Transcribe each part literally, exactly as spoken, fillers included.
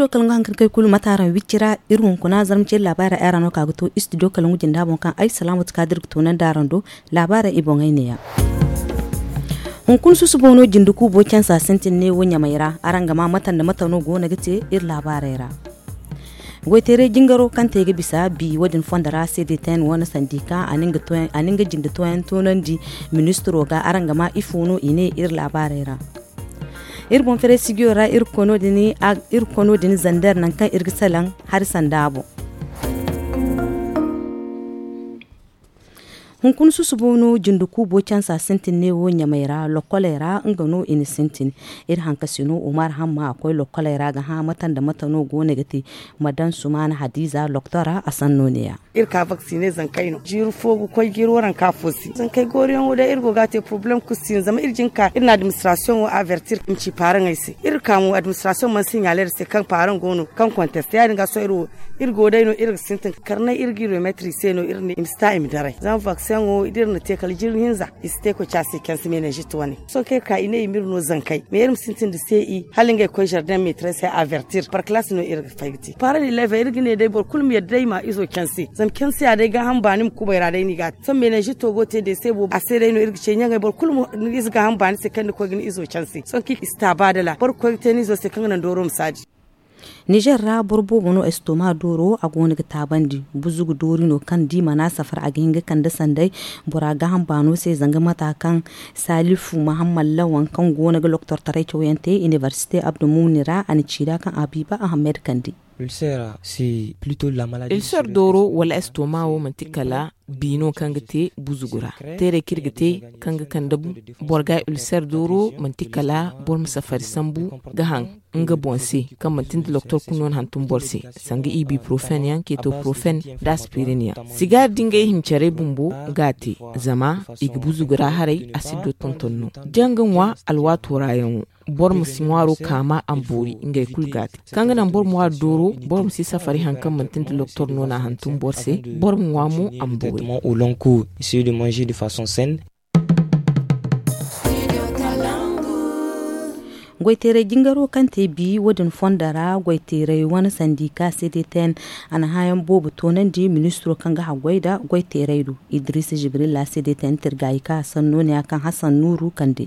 Kala nga hankali kay kulu mate araŋ wicci ra, iri hunkuna zarma ceeri laabaarey ay ra no ka ga to istidiyo kala nga jinda boŋ kaŋ ay salaamatu kaadir ga toonandi araŋ do. Laabaarey i boŋey neeya. Hunkuna susubo no jinde kuubo cansa sintin ne wo ɲamey ra araŋ ga ma mate nda mate no go no ga te iri laabaarey ra. Goyteeray jingaro kaŋ te ga bisa bi wo- din fondo ra cdtn wane sandika a na nga jinde tooyaŋ toonandi ministiro ga araŋ ga ma ifo no i ne iri laabaarey ra. Iri boŋ fere sijiyo ra iri kono din zander nangu kaŋ iri ga salaŋ hari sanda boŋ. Hunkuna susubo no jinde kuubo cansa sintin ne wo ɲamey ra lokkoley ra nga no i na sintin. Iri hankasino umar hamma a koy lokkoley ra ga hã mate nda mate no go no ga te. Madan sumaana hadiza loktora a sanno neeya. Iri ka vaksine zankey no jiiri fo ga koy jiiri waranka fo se zankey gooriyaŋo day iri go ga a te porobalem kulu si no zama iri jin ka iri na adiministirasiyoŋo avertir i ma ci paaraŋey se iri ka mo adiministirasiyoŋ mana siɲaale iri se kaŋ paaraŋ go no kaŋ konteste ya- din ga sohõ iri wo iri go day no iri ga sintin karnay iri ga iri remetri se no iri ne i ma si ta i ma daray zama vakseŋo da iri na te kala jirbi hinza i si te koy ci a se canse menezit wane sohõ kaŋ iri ka i ne i ma iri no zankey mais iri ma sintin nda se i hala ngey koy zardeŋ metrey se avertir par kalaasi no iri ga fay ga te paara din leefa iri ga ne day boro kulu ma yadda day i ma izo canse zama canse ya day gaaham baani ma kubay ra day no i ga a te sohõ menezito go te day se boobo a se day no iri ga ce ɲaŋey boro kulu ma ni ize gaaham baani se kaŋ ni koy ga ni izo canse sohõ kaŋ i si ta ba dala boro ga koy ga te ni izo se kaŋ ga naŋ dooro ma si a di. Nizer ra boro boobo no estoma dooro a go no ga taabandi buzugu doori no kaŋ da i mana safar a ga hin ga kande sanday bora gaaham baano se zanga mata kaŋ salifu mahamman lawan kaŋ go no ga loktortaray cawyaŋ te inibersite abdulmumni ra a na ci nd'a kaŋ a biiba ahammed kande. Ulcer dooro wala estoma wo manti kala bi no kaŋ ga te buzugu ra teeray kaŋ iri ga te kaŋ ga kande boro ga ulcer dooro manti kala boro ma safari sambu ga haŋ nga boŋ se kaŋ manti nda loktor kulu no na hantum boro se sanga ibuprofen yaŋ ketoprofen nda aspirin yaŋ sigaari da ngey hincarey bumbo ga a te zama i ga buzugu ra haray a si du tonton no da nga ŋwa alwaato ra yaŋo boro ma si ŋwaaro kaama a ma boori ngey kulu ga a te kaŋ ga naŋ boro ma ŋwaari dooro boro ma si safari hari kaŋ manti nda loktor no na a hantum boro se boro ma ŋwa mo a ma boori. Goyteeray jingaro kaŋ te bi wo- din fondo ra goyteeray wane sandika cdtn a na hããyaŋ boobo toonandi ministiro kaŋ ga haggoy nda goyteeray do idris jibrilla cdtn tirgaayi kaŋ a sanno ne ya kaŋ hasan nuuru kande.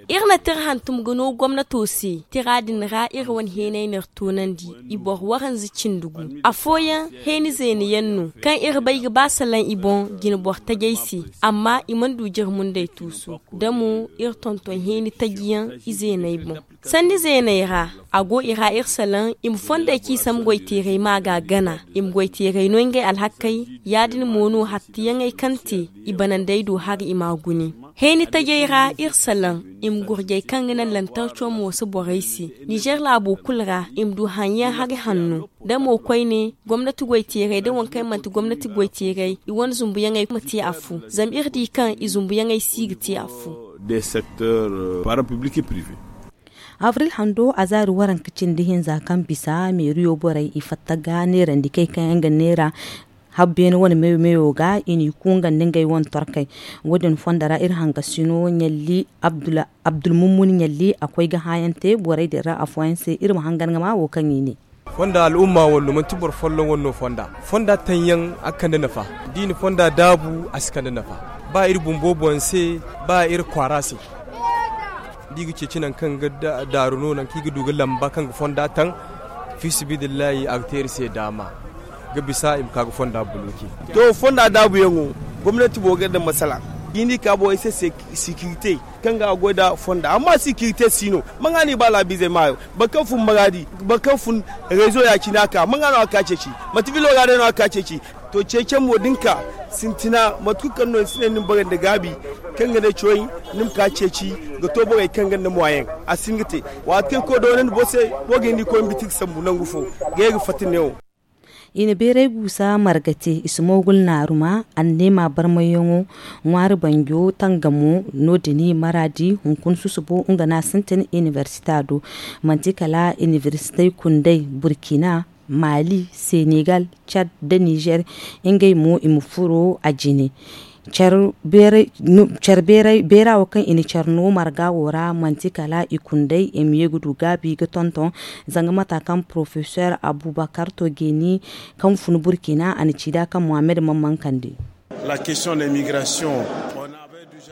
Iri na tira hantum ga no gomnato se tira din ra iri wane heenay n'iri toonandi i boro waranza cindi gu afooyaŋ heeni zeena yaŋ no kaŋ iri bay ga ba salaŋ i boŋ jine boro tajey se amma i mana du jire munday tuusu da mo iri tonton heeni taji yaŋ i zeeney boŋ sanni zeeney ra a go i ra iri salaŋ i ma fondey ci sambu goyteerey ma ga gana i ma goyteerey no ngey alhakey ya- din mo no hattiyaŋey kaŋ te i banandey do hari i m'a gune heeni tajey ra iri salaŋ i ma gurjey kaŋ ga naŋ lantarco mooso borey se nizer laabo kulu ra i ma du haŋyaŋ hari hanno da mo koyne gomnati goyteerey da waŋ kaŋ manti gomnati goyteerey i wane zumbuyaŋey ma te afo zama iri di kaŋ i zumbuyaŋey si ga te afo. Abril hando a zaari waranka cindi hinza kaŋ bisa meeriyo borey i fatta ga neerandi kay kaŋ yaŋ ga neera habbeene wane meyo meyo ga i n'i kungandi ngey wane torkey wo- din fondo ra iri hangasino ɲalli abdulmummun ɲalli a koy ga hããyaŋ te borey din ra afooyaŋ se iri ma hangan ga ma wo kaŋ i ne. Fonda al'umma wano manti boro folloŋ wano fonda fonda taŋyaŋ a ga kande nafa da i na fonda daabu a si kande nafa ba iri bumbo boŋ se ba iri kwaara se da i ga ceeci nangu kaŋ ga daaru no nangu kaŋ i ga du ga lamba kaŋ ga fonda taŋ fiisabilillahi a ga te iri se daama ga bisa i ma ka ga fonda buluki. To fonda daabuyaŋo gomnati boro ga iri daŋ masala da i n'i ka borey se sekirite kaŋ ga a goy nda fonda amma sekirite si no maŋa no i ba laabiizey maayo boro kaŋ fun maraadi boro kaŋ fun reezo ya-cine a ka maŋa no a ka ceeci manti bilo ra day no a ka ceeci. To ceecey mo da ni ka sintina mate kulu kaŋ no ni si ne ni ma borey nda gaabi kaŋ ga ne cawey ni ma ka ceeci ga to borey kaŋ gonda moyen a si hin ga te waati kaŋ koy doonandi boro se boro ga hin ga i koy ma biti ga sambu nangu fo ga ye ga fatta neewo. I na beeray guusa marga te i si moogul naaruma anneema barmayyaŋo ŋwaari banjo tangamo no- din maraadi hunkuna susubo nga no a sintin inibersita do manti kala inibersitey kundey burkina mali senegal cad nda nizer ngey mo i ma furo a jine. Care beera wo kaŋ i na care no marga wo ra manti kala i kundey i ma ye ga du gaabi ga tonton. Zanga mata kaŋ porofesor abubakar to geeni kaŋ fun burkina a na ci nd'a kaŋ mohammed man man kande.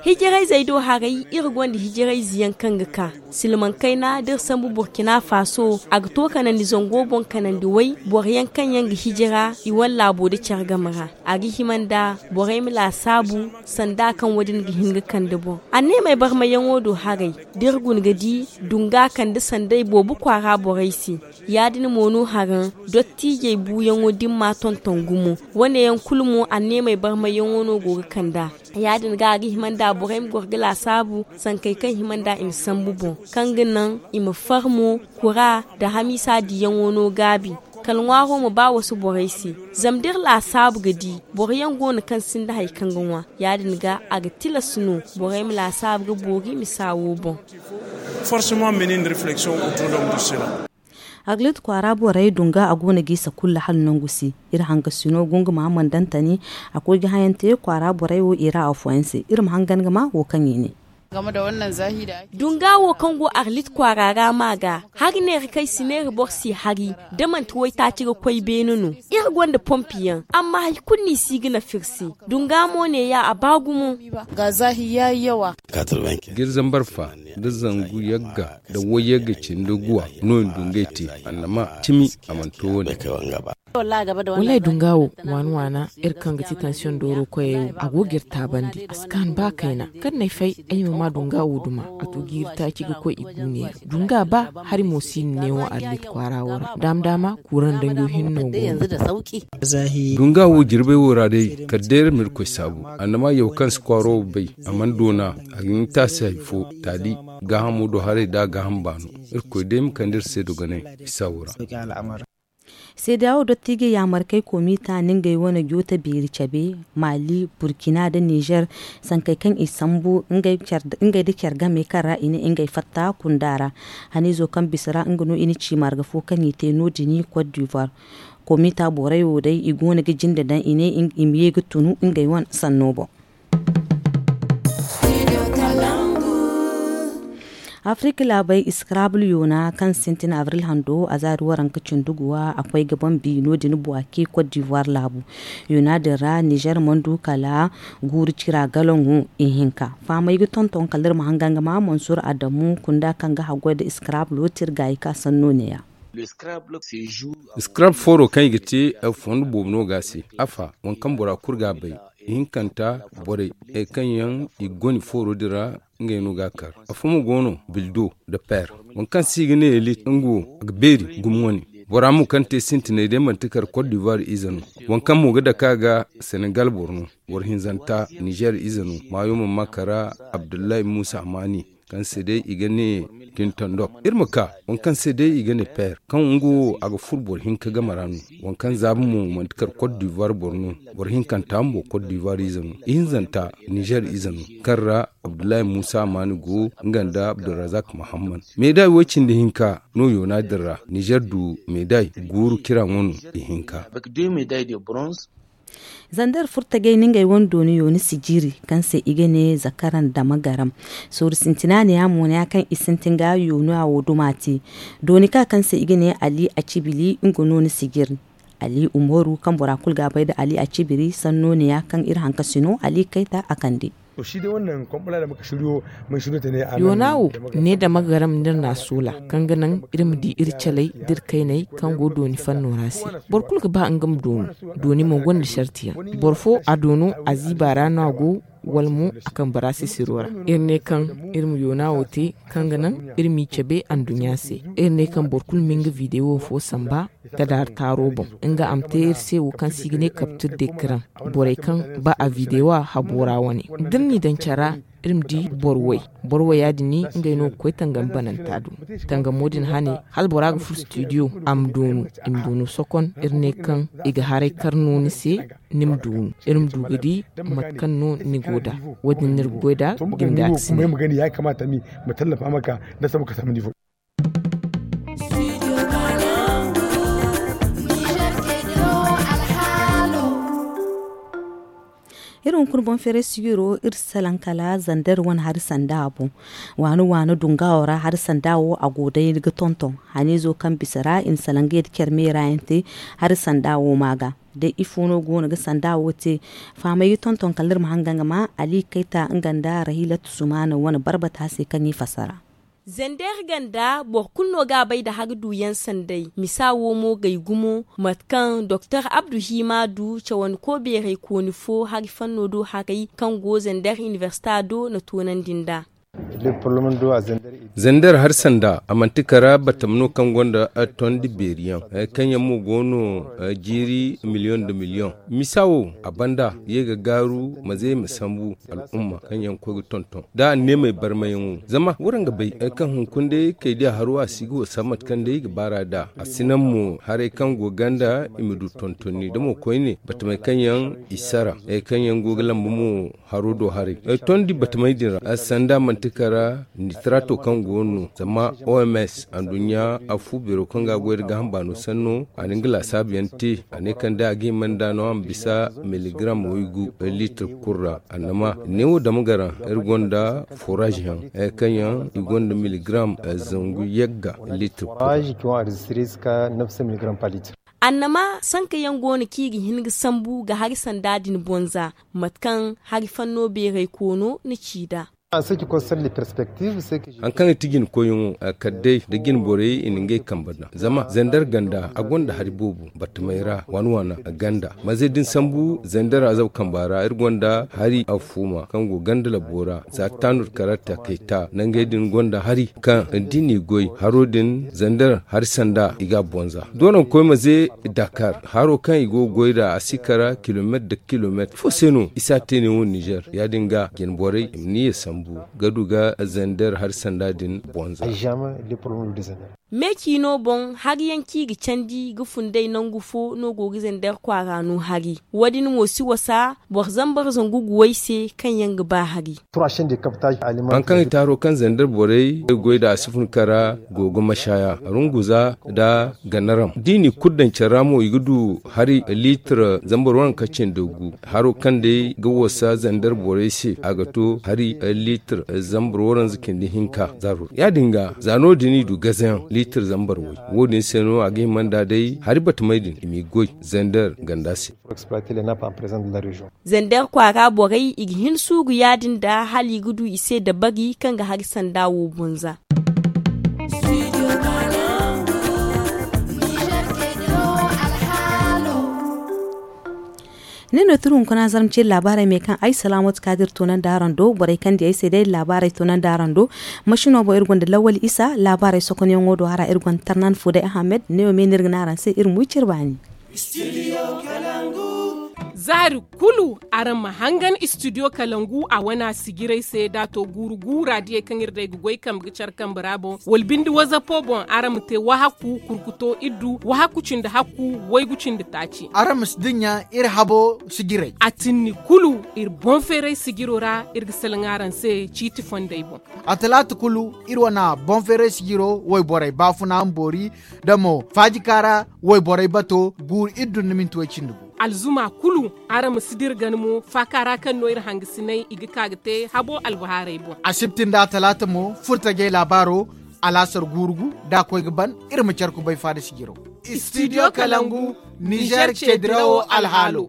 Hijarayzey do haray iri gonda hijarayze yaŋ kaŋ ga ka silmaŋ kayna da iri sambu burkina faso a ga to kanandi zango boŋ kanandi way boro yaŋ kaŋ yaŋ ga hijira i wane laabo nda care game ra. A ga hima nda borey ma laasaabu sanda kaŋ wo- din ga hin ga kande boŋ. Anneemey barmayyaŋo do haray da iri guna ga di dunga kande sanday boobo kwaara borey se. Ya- din mo no haraŋ dottiijey buuyaŋo da ni m'a tonton gumo. Wane yaŋ kulu mo anneemey barmayyaŋo no go ga kand'a. Ya- din ga a ga hima nda borey ma goro ga laasaabu sankey kaŋ hima nda i ma sambu boŋ kaŋ ga naŋ i ma far mo kura nda hamiisa diyaŋo no gaabi. Kala ŋwaaro ma ba wasu borey se. Zama da iri laasaabu ga di boro yaŋ go no kaŋ sinda hari kaŋ ga ŋwa. Ya- din ga a ga tilas no borey ma laasaabu ga boori ma saawo boŋ. Forcement menin reflection autour de sela. Arlit kwaara borey dunga a go no g'i sakulla hala nangu si. Iri hangasino gunguma mandantani a koy ga hayante kwaara borey wo i ra afooyaŋ se iri ma hangan ga ma wo kaŋ i ne. Dunga wo kaŋ go arlit kwaara ra ma ga hari neera kaŋ ay si neera boro si hari da manti waytaaci ga koy beene no. Iri gonda pompi yaŋ amma hari kulu no i si ga nafa iri se. Dunga mo neeya a ba gumo. Ga zaahi ya yi yawa. Ga iri zambar fa da zangu yagga da wayyagga cindi guwa no i na du ngey te. Annama cimi a mana to wo- ne. Wallaahi dunga wo waana waana iri kaŋ ga ti tansiyoŋ dooro koyey wo a go ga iri taabandi a si kaanu ba kayna. Kala n'ay fay ay ma ma dunga wo duma a to ga iri taaci ga koy i guuneera. Dunga ba hari mo si iri ne wo arlit kwaara wo ra daama daama kuuraŋ danjo hinno go no. Dunga wo jirbey wo ra day kala day iri ma irkoy saabu. Annama yaw kaŋ si kwaaro wo bay a mana doona a ga hin taasi hari fo taali gaahamo do haray da a gaaham baano. Irkoy day ma kande iri se dogonay isa wo ra. Seedeya wo dottiijey yaamarkey komiita na ngey wane joote beeri cabe maali burkina nda nizer sankey kaŋ i sambu ngey nda care game kaŋ ra i ne ngey fatta kunda ra. Haniizo kaŋ bisa ra nga no i na ci marga fo kaŋ i te no- din kot divoire. Komiita borey wo day i go no ga jinde daŋ i ne i ma ye ga tunu ngey wane sanno boŋ. Afirika laabey iskarabul yoona kaŋ sintin abril hando a zaari waranka cindi guwa a koy ga bambi no- din buwaki kot divoire laabu. Yoona din ra nizer mana du kala guuru cira galaŋo ihinka. Fahamey ga tonton kala iri ma hangan ga ma mansur adamu kunda kaŋ ga haggoy nda iskarabulo te iri gaayi ka sanno neeya. Scrap fooro kaŋ i ga te fondo boobo no ga a se. Afa waŋ kaŋ bora kulu ga a bay ihinkanta borey kaŋ yaŋ i ga goni fooro din ra ngey no ga a kar. Afo mo go no bildo nda per waŋ kaŋ se i ga ne elit nga wo a ga beeri gumo wane. Bora mo kaŋ te sintinay day manti kar kot divoire ize no. Waŋ kaŋ mo ga dake a ga senegal boro no. Boro hinzanta nizer ize no maayo mana ma kara abdullahi musa maani kaŋ se day i ga ne kintondok. Iri ma ka waŋ kaŋ se day i ga ne per kaŋ nga wo a ga furo boro hinka game ra no. Waŋ kaŋ zaaba mo manti kar kot divoire boro no. Boro hinkanta bumbo kot divoire ize no ihinzanta nizer ize no kaŋ ra abdullahi musa maani go nga nda abdulrazak muhammad. Meeday wo- cindi hinka no yoona din ra nizer du meeday guuru kiraŋo no ihinka. Zander furtagey na ngey wane dooni yooni sijiri kaŋ se i ga ne zakaran dama garam. Sooru sintina neeya mo neeya kaŋ i sintin ga yoona wo duma te. Dooni ka kaŋ se i ga ne ali acibili nga no ni sijiri. Ali umaru kaŋ bora kulu ga a bay nda ali acibiri sanno neeya kaŋ iri hankasino ali kayta a kande. Yoona wo ne dama garam nda iri na a soola kaŋ ga naŋ iri ma di iri caley da iri kayney kaŋ go dooni fanno ra se. Boro kulu ga ba nga ma doonu. Dooni mo gonda sarti yaŋ. Boro fo a doonu a ziiba ra no a go wala mo a kambe ra sisiro ra. Iri ne kaŋ iri ma yoona wo te kaŋ ga naŋ iri m'i cabe anduɲɲa se. Iri ne kaŋ boro kulu ma nga videwo fo samba ka daar taaro boŋ. Nga a ma te iri se wo kaŋ se i ga ne kaptir de kiraŋ. Borey kaŋ ba a videwo habo ra wane da iri n'i daŋ care ra. Iri ma di boro way. Boro waya din ngey no ga koy tangam bananta do. Tangamo din hane hala bora ga furo studio a ma doonu. I ma doonu sokon iri ne kaŋ i ga haray kar no ni se. Ni ma doonu iri ma du ga di mate kaŋ no ni go nd'a. Wo- din no iri ga goy nd'a. Jinda ga sine. Iri hunkuna boŋ feeray sijiro iri salaŋ kala zander wane hari sanda boŋ. Waani waani dunga wo ra hari sanda wo a go day ga tonton haniizo kaŋ bisa ra i na salaŋ ga yadda care meera yaŋ te. Hari sanda wo ma ga day ifo no go no ga sanda wo te. Faamay ga tonton kala iri ma hanga nga ma ali kayta nga nda rahilatu sumana wane barbata se kaŋ i fassara. Zander ganda boro kulu no ga a bay nda hari duuyaŋ sanday misa wo mo gay gumo mate kaŋ doktor abdu hima du cawandi ko beeray kooni fo hari fanno do haray kaŋ go zander inibersita do na toonandi nd'a. Zander hari sanda a manti kara batama no kaŋ gonda tondi beeri yaŋ hari kaŋ yaŋ mo go no jiiri miliyoŋ nda miliyoŋ. Misa wo a banda ye ga gaaru ma ze ma sambu al'umma kaŋ yaŋ ga koy ga tonton da a ne may barmayaŋo zama waraŋ ga bay hari kaŋ hunkuna day kay diya haro a si ga wasa mate kaŋ day i ga baar'a nd'a a si naŋ mo haray kaŋ go ganda i ma du tontonni da mo koyne batamey kaŋ yaŋ i sara hari kaŋ yaŋ go ga lamba mo haro do haray. Tondi batamey din ra sanda manti kara nitrato kaŋ go no zama oms anduɲɲa afu beero kaŋ ga a goy nda gaaham baano sanno a na nga laasaabu yaŋ te. A ne kaŋ day a ga hima nda no a ma bisa miligram waygu litre kulu ra annama neewo dama garaŋ iri gonda foraaz yaŋ hari kaŋ yaŋ i gonda miligram zangu yagga litre kulu ra. Annama sanka yaŋ go no kaŋ i ga hin ga sambu ga hari sanda din bonza mate kaŋ hari fanno beeray koono na ci nd'a. Hari kaŋ ga ti jina koyyaŋo kala day nda jina borey i na ngey kambe daŋ zama zander ganda a gonda hari boobo battamey ra waana waana ganda maze da ni sambu zander a zabu kamba ra iri gonda hari affuuma kaŋ go ganda labbo ra za taanur karatta kayta nangey din gonda hari kaŋ da i n'i goy haro din zander hari sanda i ga a bonza doona ga koy maze dakar haro kaŋ i go ga goy nd'a a si kara kilomeetar nda kilomeetar ifo se no i si a te ne wo nizer ya- din ga jina borey i ma ni ye sambu ga du ga zander hari sanda din bonza. Me ciino boŋ hari yaŋ kaŋ i ga candi ga fun day nangu fo no go ga zander kwaara no hari wo- din mo si wasa boro zambar zangu guwey se kaŋ yaŋ ga ba hari. Hari kaŋ i taaro kaŋ zander borey goy nd'a a si fun kara go ga mashaya runguza nda ganaram da i n'i kulu daŋ care ra mo i ga du hari litre zambar waranka cindi gu haro kaŋ day ga wasa zander borey se a ga to hari litre zambar waranza cindi hinka zaaro ra ya- din ga za no- din i du gazayaŋ litre zambar way wo- din se no a ga hima nd'a day hari batamey din i m'i goy zander ganda se. Zander kwaara borey i ga hin suuru ya- din nda hala i ga du i se dabari kaŋ ga hari sanda wo bonza. Ne no turu hunkuna zarma ce labaarey me kaŋ ay salaamatu kaadir toonandi araŋ do borey kaŋ di ay se day labaarey toonandi araŋ do. Masino boŋ iri gonda lawali isa labaarey sokonyaŋo do hara iri gonda tarnan fuuday ahamed ne wo me no iri ga ne araŋ se iri ma wi cire baani. Zaari kulu araŋ ma hangan istidiyo kalangu a wana sijirey se da a to guuru guura diyey kaŋ iri day ga goy kambe ga care kambe ra boŋ wala binde wazapo boŋ araŋ ma te wahakku kurkuto iddu wahakku cindi hakku waygu cindi taaci. Araŋ ma si dinya iri habo sijirey a tinni kulu iri boŋ feeray sijiro ra iri ga salaŋ araŋ se ciiti fondey boŋ. A talaata kulu iri wana boŋ feeray sijiro wayborey baafuna ma boori da mo faajika ra wayborey bato guuru iri dun ni minti way cindi gu. Alzuma kulu araŋ ma si dira gana mo faaka ra kaŋ no iri hangasiney i ga ka ga te habo albahaarey boŋ. Asibti nda talaata mo furtajey laabaaro alaasar guuru gu da a koy ga ban iri ma care kubay faada sijiro. Istidiyo kalangu nizer ceedirawo alhaalo.